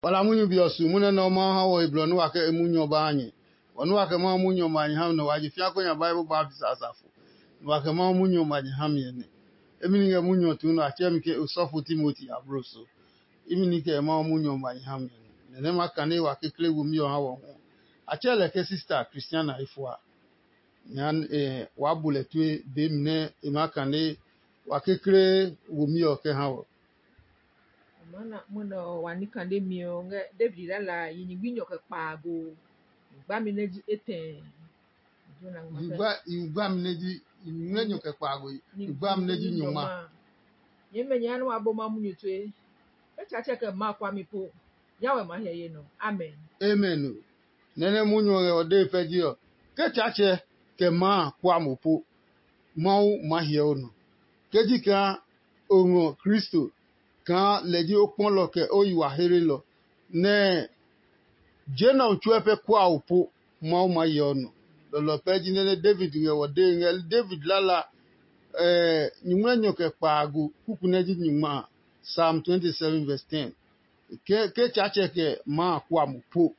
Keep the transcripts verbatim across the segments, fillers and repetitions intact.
Wala munyu bi ɔ su munyu nɛ Mawu ha wɔ he blɔ nɛ wa kɛ e munyu ɔ ba ha nyɛ. Bɔ nɛ wa kɛ Mawu munyu ɔ ma nyɛ ha mi nɛ wa ji fĩa ko nya Bible baptist asafo. Nɛ wa kɛ Mawu munyu ɔ ma nyɛ ha mi ɔ nɛ. Emi ni ngɛ munyu ɔ tuu nɛ a tsɛɛ mi ke osɔfo Timoti ablo so. Imi ni kɛ Mawu munyu ɔ ma nyɛ ha mi ɔ nɛ. Nɛ nɛ ma kane wa kekle womi ɔ ha wɔ hu. A tsɛɛ lɛ ke sista Christiana efua. Nya waa bu lɛ tue be mi nɛ e maa kane wa kekle womi ɔ kɛ ha wɔ. Amana mwɔnɛ ɔ wa ní kane mi ɔ ngɛ David lala yi nyingbi nyɔ kɛ kpaago. Gbami nɛ ji etɛ. Yi gba mi nɛ ji yi ngmlɛ nyɔ kɛ kpaago. Yi gba mi nɛ ji nyɔngma. Nyɛmɛ nya nɛ wa bo ma munyu tue. Etsatsɛ kɛ ma kwa mi po. Yawɛ ma hiɛ ye nɔ. Amen. Amen. Nɛ́ nɛ munyu ɔ ngɛ ɔ dee pɛ ji ɔ, ke Tsaatsɛ kɛ maa kua mo po, Mawu maa hyɛ o nɔ. Ke ji kaa o ngɔ Kristo kaa lɛ ji o kpɔlɔ kɛ o yi wa heelelɔ, nɛ je nɛ ɔ tsuɛ pɛ kua o po, Mawu maa hyɛ o nɔ. Lɔlɔ pɛ ji nɛ nɛ David ngɛ wɔ dee ngɛ David lala nyingmlɛ nyɔ kɛ kpaago kuku nɛ ji nyingma a. Psalm twenty seven verse ten. Ke Tsaatsɛ kɛ maa kua mo po,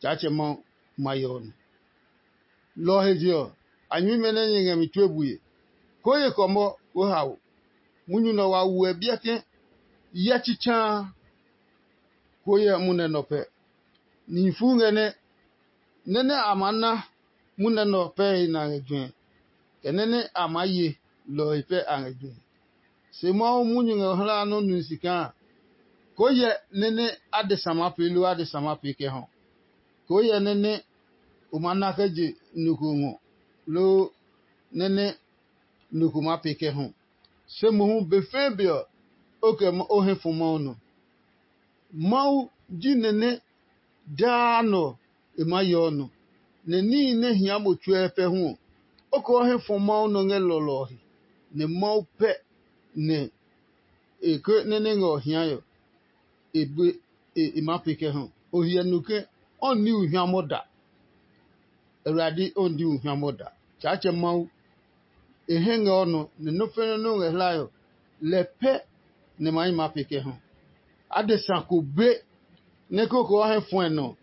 Tsaatsɛ Mawu ma hyɛ o nɔ. Lɔ ɔ he je ɔ, a nyɛmimɛ nɛ nyɛ ngɛ mi tue bue, koo ye kɔmɔ koo hao. Munyu nɛ wa wuɛ biɛ ke hyɛ tsitsaa koo hyɛ munɛ nɔ pɛ. Nihi fuu ngɛ nɛ, nɛ nɛ a maa na munɛ nɔ pɛ he na ngɛ juɛ, kɛ nɛ nɛ a maa ye lɔ ɔ he pɛ a ngɛ juɛ. Se Mawu munyu ngɛ o hlaa nɔ́ nui si kaa, koo hyɛ nɛ nɛ adesa maa pee loo adesa maa pee kɛ hɔ. Koo hyɛ nɛ nɛ o maa na kɛ je nɔ ko ngɔ, loo nɛ nɛ nɔ ko maa pee kɛ hɔ. Se mohu be fɛɛ be ɔ, o kɛ o hɛ fɔ Mawu nɔ. Mawu ji nɛ nɛ daa nɔ e maa yeɔ nɔ, nɛ níhi nɛ hia mo tsuɛ pɛ hu ɔ, o kɛ o hɛ fɔ Mawu nɔ ngɛ lɔlɔ ɔ he, nɛ Mawu pɛ nɛ e ke nɛ nɛ ngɛ ɔ hiae ɔ, e be e maa pee kɛ ha. O hyɛ nu ke o ní uhiamɔ da. Awurade o ní uhiamɔ da. Tsaatsɛ Mawu, e hɛ ngɛ o nɔ, nɛ nɔ́ fɛnɛ nɛ o ngɛ hlae ɔ, lɛ pɛ nɛ ma yi maa pee kɛ ha. Adesa ko be nɛ koko ɔ hɛ fɔɛ nɔ,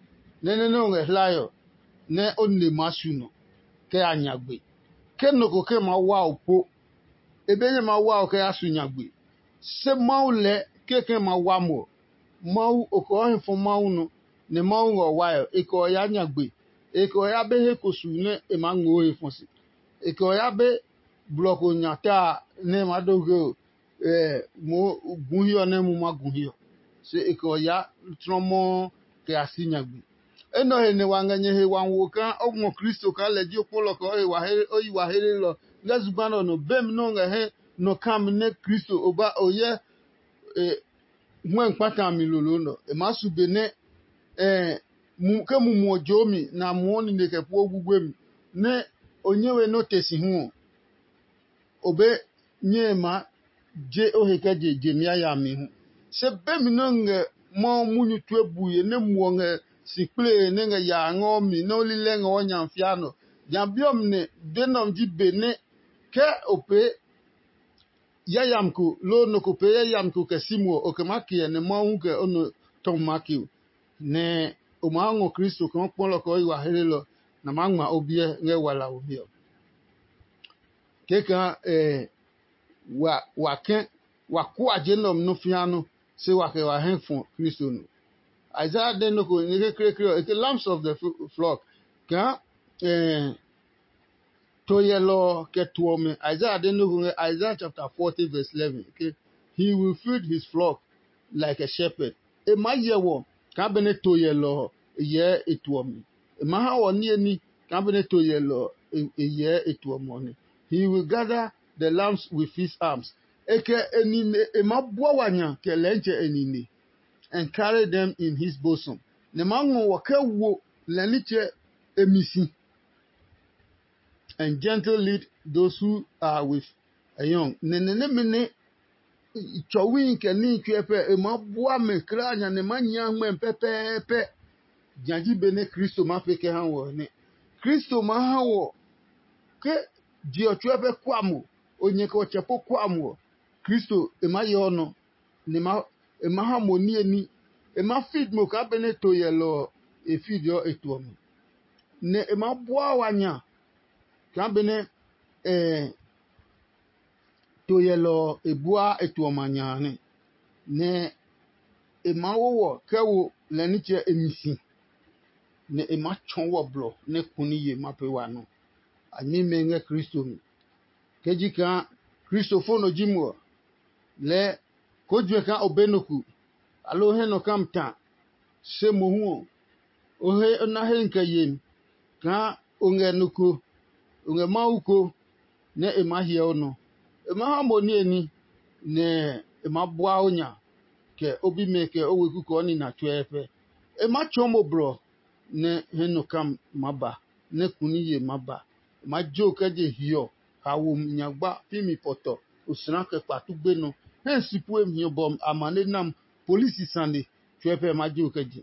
nɛ nɛ nɛ o ngɛ hlae ɔ, nɛ o ne maa su nɔ kɛ ya nyagbe. Ke nɔ ko ke maa wa o po, e be nyɛ maa wa o kɛ ya su nyagbe. Se Mawu lɛɛ kekɛ ma wa mo ɔ, Mawu o kɛ o hɛ fɔ Mawu nɔ, nɛ Mawu ngɛ o wae ɔ, e kɛ o ya nyagbe. E kɛ o ya be he ko su nɛ e maa ngmoo he fɔ si. E kɛ o ya be blɔ ko nya ta a nɛ e maa do ge o moo gu hiɛ ɔ nɛ mu ma gu hiɛ ɔ. Se e kɛ o ya tlɔmɔɔ kɛ ya si nyagbe. Enɛ ɔ he nɛ wa ngɛ nyɛ he wa wo kaa o ngɔ Kristo kaa lɛ ji o kpɔlɔ kɛ o yi wa heelelɔ ngɛ zugba nɛ ɔ nɔ. Bemi nɛ o ngɛ hɛ nɔ kami nɛ Kristo o ba o hyɛ huɛ kpata a mi lolo nɛ ɔ, e maa su be nɛ ke mumi ɔ joo mi nɛ a muɔ nine kɛ pue guguemi, nɛ o nyɛ we nɛ o te si hu ɔ, o be nyɛe maa je o he kɛ je je mi yayami hu. Se bemi nɛ o ngɛ Mawu munyu tue bue nɛ muɔ ngɛ si kplee nɛ ngɛ yaa ngɛ o mi nɛ o lilɛ ngɛ o nya fia nɔ. Nya bi ɔ mi nɛ be nɛ ɔ ji be nɛ ke o pee yayami ko loo nɔ ko pee yayami ko kɛ si muɔ, o kɛ maa ke ɛ nɛ Mawu hu kɛ o nɔ tɔmi maa ke o. Nɛ o maa ngɔ Kristo kaa o kpɔlɔ kɛ o yi wa heelelɔ, nɛ a maa ngma o biɛ ngɛ wala womi ɔ. Kɛkaa wa kɛ̃ wa kua je nɛ ɔ nɔ́ fĩa nɔ́, se wa kɛ wa hɛ fɔ Kristo nɔ. Isaiah de nɔ ko nɛ ke kekle ɔ, e ke lambs of the flock kaa to yɛlɔ ɔ kɛ to ɔmɛ. Isaiah de nɔ ko ngɛ Isaiah chapter forty verse eleven ke, he will feed his flock like a shepherd. E maa hyɛ wɔ kaa benɛ to yɛlɔ ɔ e hyɛɛ e to ɔmɛ. E maa ha wɔ niye ní kaa benɛ to yɛlɔ ɔ e hyɛɛ e to ɔmɛ ɔ nɛ. He will gather the lambs with his arms. E kɛ e nine e maa bua wa nya kɛ lɛntsɛ e nine and carry them in his bosom. Nɛ maa ngɔ wɔ kɛ wo lɛ nitsɛ e mi si. And gentle lead those who are with a young. Nɛnɛ nɛmɛ nɛ tsɔwi kɛ ní tsuɛ pɛ e maa bua mɛ kla nya nɛ ma nyia ngmɛ pɛpɛɛpɛ. Nya ji be nɛ Kristo ma fe kɛ ha wɔ nɛ. Kristo ma ha wɔ ke je ɔ tsuɛ pɛ kua mo, o nyɛ kɛ ɔ tsɛ po kua mo ɔ, Kristo e ma yɛ ɔ nɔ, nɛ e ma ha mo niye ní E maa feed mo kaa benɛ to yɛlɔ ɔ e feed ɔ e to ɔ mi, nɛ e maa bua wa nya kaa benɛ to yɛlɔ ɔ e bua e to ɔmɛ a nya a nɛ. Nɛ e maa wo wɔ kɛ wo lɛ nitsɛ e mi si, nɛ e maa tsɔɔ wɔ blɔ nɛ kuni ye ma pee wa nɔ. A nyɛmimɛ ngɛ Kristo mi. Ke ji kaa Kristo fo nɔ ji mo ɔ, lɛɛ koo juɛ kaa o be nɔ ku, aloo hɛ nɔ kam ta, se mohu ɔ, o he o na he kɛ yemi kaa o ngɛ nɔ ko, o ngɛ Mawu ko nɛ e maa hyɛ o nɔ. E maa ha mo niye ní, nɛ e maa bua o nya, kɛ o bimɛ kɛ o weku kɛ o nina tsuɛ pɛ. E maa tsɔɔ mo blɔ nɛ hɛ nɔ kam maa ba, nɛ kuni ye maa ba. E maa jo kɛ je hiɔ, hawo nyagba, pi mi pɔtɔ, osla kɛ kpatu gbenɔ, hɛ si pue hiɔ bɔ amane nam, polisi sane tsuɛ pɛ ma jo kɛ je.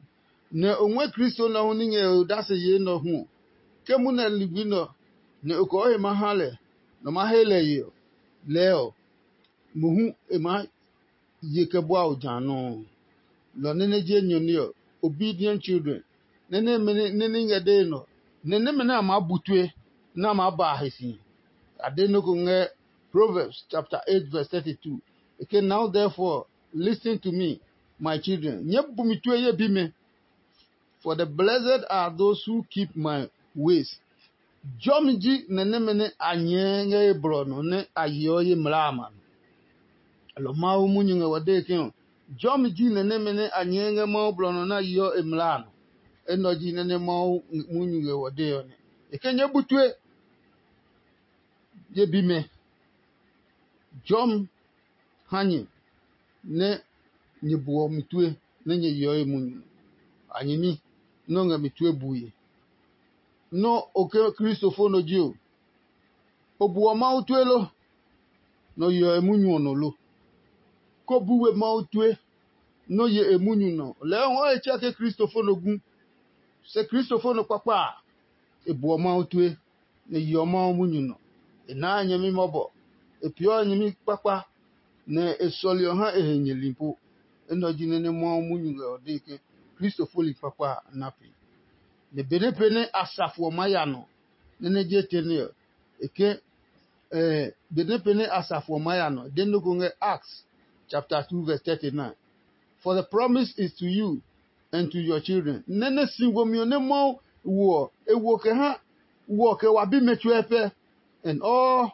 Nɛ o ngɔɛ Kristo nɛ ɔ hu ní ngɛ e odase yee nɛ ɔ hu ɔ, ke munɛ ligbi nɛ ɔ, nɛ o kɔɔ he ma ha lɛ, nɔ ma he lɛ ye ɔ, lɛɛ ɔ, mohu e maa ye kɛ bua o ja nɔuu. Lɔ nɛ nɛ ji enyɔ ní ɔ, obedient children, nɛ nɛmɛ nɛ ní ngɛ dee nɔ, nɛ nɛmɛ nɛ a maa bu tue nɛ a maa ba a he si. A de nɔ́ ko ngɛ Proverbs chapter eight verse thirty-two. E ke, "Now therefore listen to me, my children, nyɛɛ bu mi tue ye bimɛ, for the blessed are those who keep my ways." Jɔmi ji nɛ nɛmɛ nɛ a nyɛɛ ngɛ ye blɔ nɔ nɛ a yeɔ ye mlaa a ma nɔ. Alɔ Mawu munyu ngɛ wɔ dee ke ɔ, jɔmi ji nɛ nɛmɛ nɛ a nyɛɛ ngɛ Mawu blɔ nɔ nɛ a yeɔ e mlaa a nɔ. Enɛ ɔ ji nɛ nɛ Mawu munyu ngɛ wɔ dee ɔ nɛ. E ke nyɛ bu tue ye bimɛ. Jɔmi ha nyɛ nɛ nyɛ buɔ mi tue nɛ nyɛ yeɔ e munyu. A nyɛmi nɛ o ngɛ mi tue bue. Nɔ́ o ke kristofo nɔ ji o, o buɔ Mawu tue lo, nɛ o yeɔ e munyu ɔ nɔ lo? Ko bu we Mawu tue, nɛ o ye e munyu nɔ. Lɛɛ o ngɔ he tsɛ ke kristofo nɔ gu. Se kristofo nɔ kpakpa a, e buɔ Mawu tue, nɛ yeɔ Mawu munyu nɔ. E naa nyɛmi mɔbɔ, e peeɔ nyɛmi kpakpa, nɛ e sɔleɔ ha e he nyɛli po. Enɛ ɔ ji nɛ nɛ Mawu munyu ngɛ ɔ dee ke kristofoli kpakpa a na pee. Nɛ benɛ pee nɛ asafo ɔ maa ya nɔ, nɛ nɛ je tɛ nɛ ɔ, e ke benɛ pee nɛ asafo ɔ maa ya nɔ, de nɔ́ ko ngɛ Acts chapter two verse thirty-nine. For the promise is to you and to your children. Nɛ nɛ si womi ɔ nɛ Mawu wo ɔ, e wo kɛ ha wo ɔ kɛ wa bimɛ tsuɛ pɛ, and all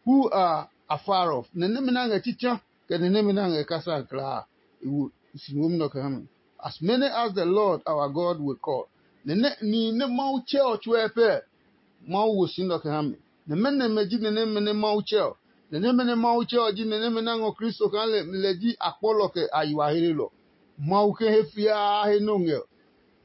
who are afar off. Nɛ nɛmɛ nɛ a ngɛ tsitsa, kɛ nɛ nɛmɛ nɛ a ngɛ kasa klaa, e wo si womi nɛ ɔ kɛ ha mi. As many as the Lord our God will call. Nɛ nɛ nihi nɛ Mawu tsɛ ɔ tsuɛ pɛ, Mawu wo si nɛ ɔ kɛ ha mi. Nɛ mɛnɔ nɛmɛ ji nɛ nɛmɛ nɛ Mawu tsɛ ɔ? Nɛ nɛmɛ nɛ Mawu tsɛ ɔ ji nɛ nɛmɛ nɛ a ngɔ Kristo kaa lɛ ji akpɔlɔ kɛ a yi wa hlelɔ. Mawu ke he fiaa he nɛ o ngɛ ɔ,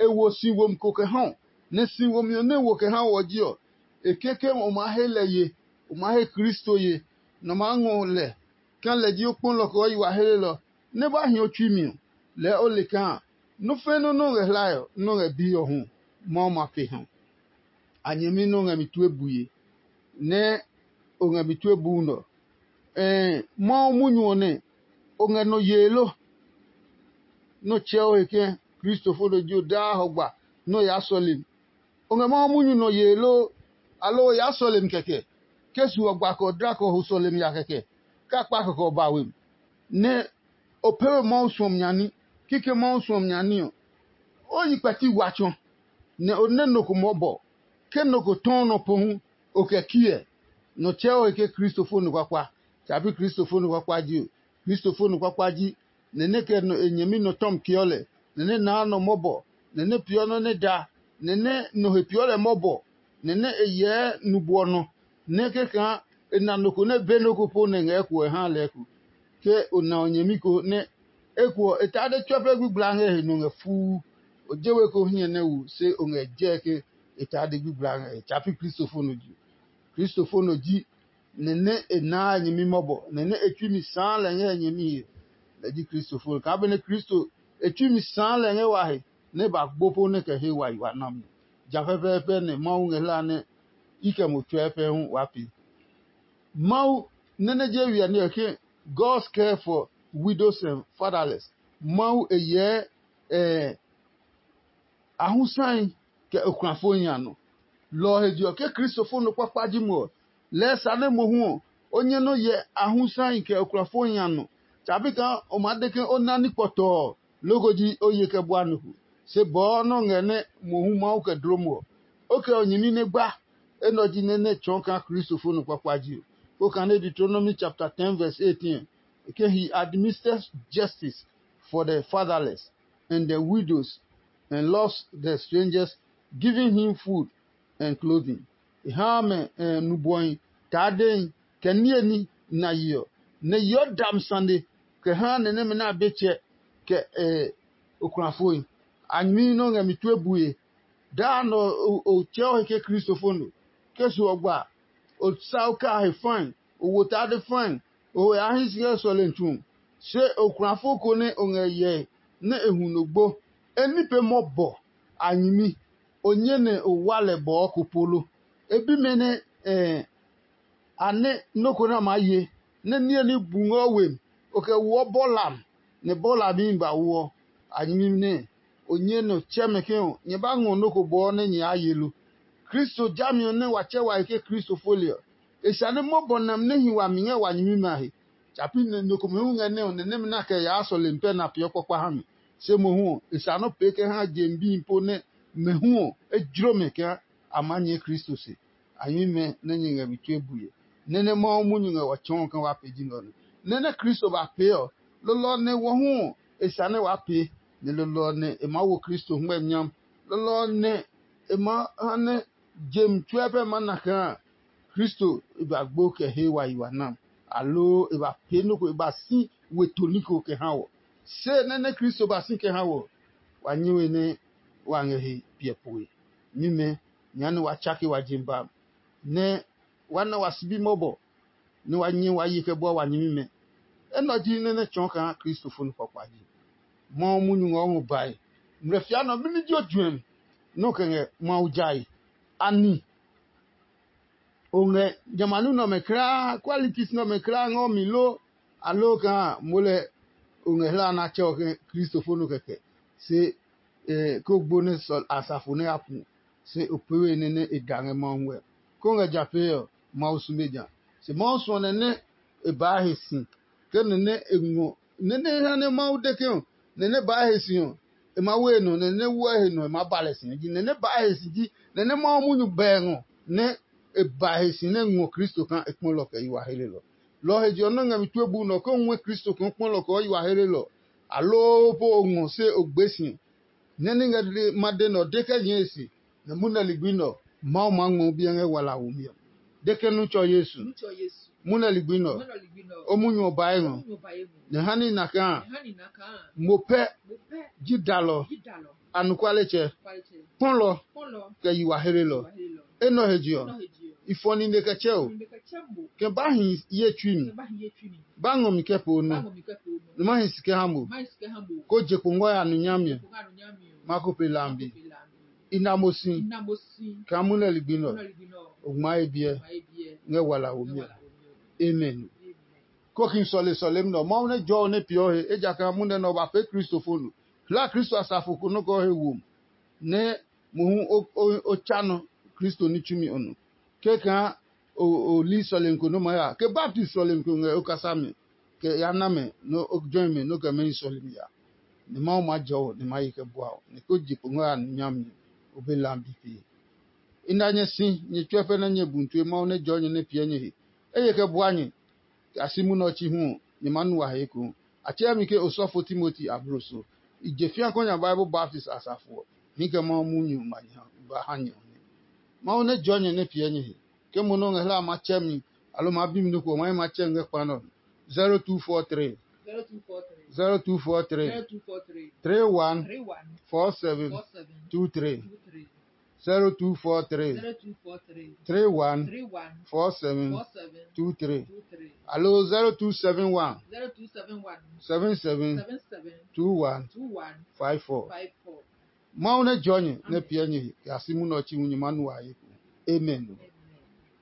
e wo si womi ko kɛ ha o, nɛ si womi ɔ nɛ e wo kɛ ha wɔ ji ɔ, e ke ke o maa he lɛ ye, o maa he Kristo ye, nɛ o maa ngɔ lɛ kaa lɛ ji o kpɔlɔ kɛ o yi wa hlelɔ, nɛ ba hi o tsui mi ɔ, lɛɛ o le kaa nɔ́ fɛ́ nɔ́ nɛ o ngɛ hlae ɔ, nɛ o ngɛ biɛ ɔ hu, Mawu ma pe ha. A nyɛmi nɛ o ngɛ mi tue bue, nɛ o ngɛ mi tue buu nɔ. Ɛɛ, Mawu munyu ɔ nɛ o ngɛ nɔ yee lo? Nɔ tsɛ o he ke kristofo nɔ ji o daa hɔgba nɛ o yaa sɔlemi. O ngɛ Mawu munyu nɔ yee lo, aloo o yaa sɔlemi kɛkɛ? Ke su ɔ gba kɛ ɔ dla kɛ ɔ ho sɔlemi ya kɛkɛ, kɛ akpa kɛkɛ ɔ ba we mi, nɛ o pee we Mawu suɔmi nya ní, kikɛ Mawu suɔmi nya ní ɔ, o yi kpɛti wa tsɔ, nɛ o nɛ nɔ ko mɔbɔ. Ke nɔ ko tɔɔ nɔ po hu, o kɛ kiɛ. Nɔ tsɛɔ he ke kristofo nɔ kpakpa, tsa pi kristofo nɔ kpakpa ji o. Kristofo nɔ kpakpa ji nɛ nɛ kɛ nɔ e nyɛmi nɔ tɔmi keɔ lɛ, nɛ nɛ naa nɔ mɔbɔ, nɛ nɛ peeɔ nɔ́ nɛ da, nɛ nɛ nɔ he peeɔ lɛ mɔbɔ, nɛ nɛ e hyɛɛ nubwɔ nɔ, nɛ kɛkaa e na nɔ ko nɛ be nɔ́ ko po nɛ ngɛ kuɔ ha lɛɛ ko. Ke o na o nyɛmi ko nɛ eko ɔ, e taa de tsuɛ pɛ gbigblaa ngɛ he nɔ ngɛ fuu. O je we ko hiɛ nɛ wu, se o ngɛ jɛɛ ke e taa de gbigblaa ngɛ he. Tsa pi kristofo nɔ ji. Kristofo nɔ ji nɛ nɛ e naa nyɛmi mɔbɔ, nɛ nɛ e tsui mi sãã lɛ ngɛ e nyɛmi he. Lɛ ji kristofo nɔ. Kaa benɛ Kristo e tsui mi sãã lɛ ngɛ wa he, nɛ e ba gbo po nɛ kɛ he wa yi wa nami. Ja pɛpɛɛpɛ nɛ Mawu ngɛ hlaa nɛ i kɛ mo tsɔɔe pɛ hu waa pee. Mawu nɛ nɛ je wiɛ ní ɔ ke, God's care for widows and fatherless. Mawu e hyɛɛ ahusahi kɛ okulafoi nya nɔ. Lɔ ɔ he je ɔ, ke Kristofo nɔ kpakpa ji mo ɔ, lɛɛ sa nɛ mohu ɔ, o nyɛ nɔ́ hyɛ ahusahi kɛ okulafoi nya nɔ. Tsabi kaa o maa de ke o na ní kpɔtɔɔ loko ji o ye kɛ bua nɔ ko. Se bɔɔ nɛ o ngɛ nɛ mohu Mawu kɛ dloo mo ɔ, o kɛ o nyɛmi nɛ gba. Enɛ ɔ ji nɛ nɛ tsɔɔ kaa Kristofo nɔ kpakpa ji ɔ. Kó kane Deuteronomy chapter ten verse eighteen, ke he administers justice for the fatherless and the widows and loves the strangers, giving him food and clothing. E haa mɛ nubɔhi, taadehi, kɛ niye ní na ye ɔ, nɛ yeɔ dami sane kɛ haa nɛ nɛmɛ nɛ a be tsɛ kɛ okulafoi. A nyɛmi nɛ o ngɛ mi tue bue. Daa nɛ o tsɛɔ he ke Kristofo no. Ke su ɔ gba, o sa o kaa he fãi, o wo tade fãi, o he a hɛ si ngɛ sɔlemi tsu. Se okulafo ko nɛ o ngɛ hyɛe nɛ e hu nɔ gbo, e ní pee mɔbɔ a nyɛmi, o nyɛ nɛ o wa lɛ bɔɔ ko po lo? E bi mɛ nɛ a nɛ nɔ́ ko nɛ a maa ye, nɛ niye ní bu ngɛ o we mi, o kɛ woɔ bɔlam, nɛ bɔlami ba woɔ a nyɛmi nɛ o nyɛ nɔ tsɛ mɛ ke ɔ, nyɛ ba ngɔ nɔ́ ko bɔɔ nɛ nyɛ yaa ye lo? Kristo jami ɔ nɛ wa tsɛ wa he ke Kristo fole ɔ, e sane mɔbɔ nami nɛ hi wami ngɛ wa nyɛmimɛ a he. Tsa pi nɛ nɔ komɛ hu ngɛ nɛ ɔ nɛ nɛmɛ nɛ a kɛ yaa sɔlemi pɛ nɛ a peeɔ kpakpa ha mi. Se mohu ɔ, e sa nɔ́ pee kɛ ha je mi bihi po nɛ mɛ hu ɔ, e jlo mɛ kaa a maa nyɛɛ Kristo se. A nyɛmimɛ nɛ nyɛ ngɛ mi tue bue, nɛ nɛ Mawu munyu ngɛ wa tsɔɔ ke wa pee ji nɛ ɔ nɛ. Nɛ nɛ Kristo ba pee ɔ, lolo ɔ nɛ wɔ hu ɔ, e sa nɛ waa pee, nɛ lolo ɔ nɛ e maa wo Kristo hɛngmɛ nyam. Lolo ɔ nɛ e maa ha nɛ je mi tsuɛ pɛ maa na kaa Kristo e ba gbo kɛ he wa yi wa na, aloo e ba pee nɔ́ ko e ba si we toni ko kɛ ha wɔ. Se nɛ nɛ Kristo ba si kɛ ha wɔ, wa nyɛ we nɛ wa ngɛ he piɛ pue. Mimɛ, nya nɛ wa tsake wa je ba, nɛ wa na wa sibi mɔbɔ, nɛ wa nyɛ wa ye kɛ bua wa nyɛmimɛ. Enɛ ɔ ji nɛ nɛ tsɔɔ kaa Kristo fo nɔ kpakpa ji. Mawu munyu ngɔ ngɔ bae. Mlɛ fia nɔ mɛni ji o juɛmi nɛ o kɛ ngɛ Mawu jae? Ani o ngɛ jamɛ a nɔ́ nɛ ɔmɛ kulaa, qualities nɛ ɔmɛ kulaa ngɛ o mi lo? Aloo kaa mo lɛ o ngɛ hla nɛ a tsɛ ɔ ke Kristo fo nɔ kɛkɛ? Se ko gbo nɛ asafo nɛ a pu, se o pee we nɛ nɛ e da ngɛ Mawu ngɛ. Ko ngɛ ja pee ɔ, Mawu sume ja. Se Mawu suɔ nɛ nɛ e baa he si, ke nɛ nɛ e ngɔ nɛ nɛ e ha nɛ Mawu de ke ɔ, nɛ nɛ baa he si ɔ, e ma we e nɔ, nɛ nɛ wua he nɔ e ma ba lɛ si ji. Nɛ nɛ baa he si ji nɛ nɛ Mawu munyu bɛɛ ngɔ, nɛ e ba he si nɛ ngɔ Kristo kaa e kpɔlɔ kɛ yi wa helelɔ. Lɔ ɔ he je ɔ nɔ́ ngɛ mi tue bu nɛ ɔ ke o ngɔɛ Kristo kaa o kpɔlɔ kɛ o yi wa helelɔ, aloo po o ngɔ se o gbe si. Nɛ ní ngɛ ma de nɛ ɔ, de kɛ nyɛe se, nɛ munɛ ligbi nɛ ɔ, Mawu maa ngmɔ biɛ ngɛ wala womi ɔ. De ke nu tsɔ Yesu, munɛ ligbi nɛ ɔ, o munyu ɔ bae ngɔ, nɛ ha ní na kaa mo pɛ ji dalɔ, anɔkualetsɛ, kpɔlɔ, kɛ yi wa helelɔ. Enɛ ɔ he je ɔ, i fɔ nine kɛ tsɛ o, kɛ ba hi ye tsui mi, ba ngɔ mi kɛ po nɔ, nɛ ma hi si kɛ ha mo, ko je kpo ngɔ ya nu nyami ɔ, ma ko pe lambi. I na mo si kaa munɛ ligbi nɛ ɔ, o ngma ye biɛ ngɛ wala womi ɔ. Amen. Koki sɔle sɔlemi nɛ ɔ, Mawu nɛ jɔɔ nɛ peeɔ he, ejakaa munɛ nɛ ɔ ba pee Kristo fo no. Hla Kristo asafo ko nɔ́ kɛ o he womi, nɛ mohu o tsa nɔ Kristo ní tsumi ɔ nɔ. Kɛkaa o li sɔlemi ko nɔ́ maa ya, ke baptist sɔlemi ko ngɛ o kasa mi, kɛ ya na mɛ nɛ o jɔe mɛ nɛ o kɛ mɛni sɔlemi ya. Nɛ Mawu maa jɛ o nɛ ma ye kɛ bua o, nɛ ko je kpo ngɛ a nɔ nyami, o be lambi pee. I na nyɛ si, nyɛ tsuɛ pɛ nɛ nyɛ bu tue Mawu nɛ jɔɔ nyɛ nɛ piɛ nyɛ he. Eye kɛ bua nyɛ, kɛ a si munɛ ɔ chi hu ɔ, nyɛ maa nu wa he ekohu. A tsɛɛ mi ke osɔfo Timoti abloso. I je fĩa kɔ nya Bible baptist asafo ɔ, hii kɛ Mawu munyu ma nya ba ha nyɛ ɔ nɛ. Mawu nɛ jɔɔ nyɛ nɛ piɛ nyɛ he. Ke mo nɛ o ngɛ hlaa ma tsɛ mi, aloo ma bi mi nɔ ko ɔ, ma hi ma tsɛ mi ngɛ kpa nɛ ɔ. zero two four three, zero two four three, zero two four three, zero two four three, three one, three one, four seven, four seven, two three. Two three. Zero two four three, zero two four three, three one, three one, four seven, four seven, two three. Two three. Aloo zero two seven one, zero two seven one, seven seven, seven seven, two one, two one, five four. Five four. Mawu nɛ jɔɔ nyɛ nɛ piɛ nyɛ he kɛ a si munɛ ɔ chi hu nyɛ ma nu wa ye ko. Amen.